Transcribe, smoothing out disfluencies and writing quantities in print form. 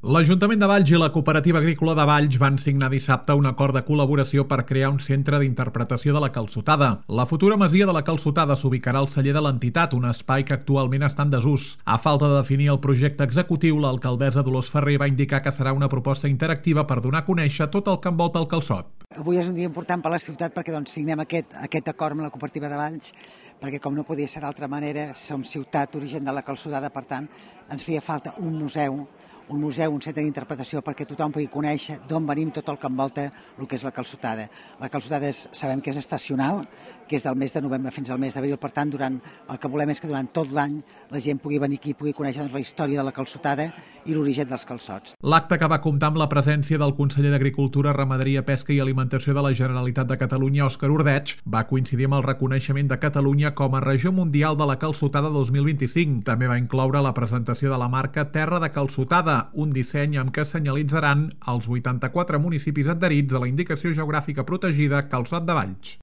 L'Ajuntament de Valls i la Cooperativa Agrícola de Valls van signar dissabte un acord de col·laboració per crear un centre d'interpretació de la calçotada. La futura masia de la calçotada s'ubicarà al celler de l'entitat, un espai que actualment està en desús. A falta de definir el projecte executiu, l'alcaldessa Dolors Ferrer va indicar que serà una proposta interactiva per donar a conèixer tot el que envolta el calçot. Avui és un dia important per a la ciutat perquè signem aquest acord amb la Cooperativa de Valls, perquè com no podia ser d'altra manera, som ciutat origen de la calçotada, per tant ens feia falta un museu, un centre d'interpretació perquè tothom pugui conèixer d'on venim, tot el que envolta el que és la calçotada. La calçotada sabem que és estacional, que és del mes de novembre fins al mes d'abril, per tant el que volem és que durant tot l'any la gent pugui venir aquí i pugui conèixer la història de la calçotada i l'origen dels calçots. L'acte, que va comptar amb la presència del conseller d'Agricultura, Ramaderia, Pesca i Alimentació de la Generalitat de Catalunya, Òscar Ordeig, va coincidir amb el reconeixement de Catalunya com a regió mundial de la calçotada 2025. També va incloure la presentació de la marca Terra de Calçotada, un disseny amb què senyalitzaran els 84 municipis adherits a la indicació geogràfica protegida Calçot de Valls.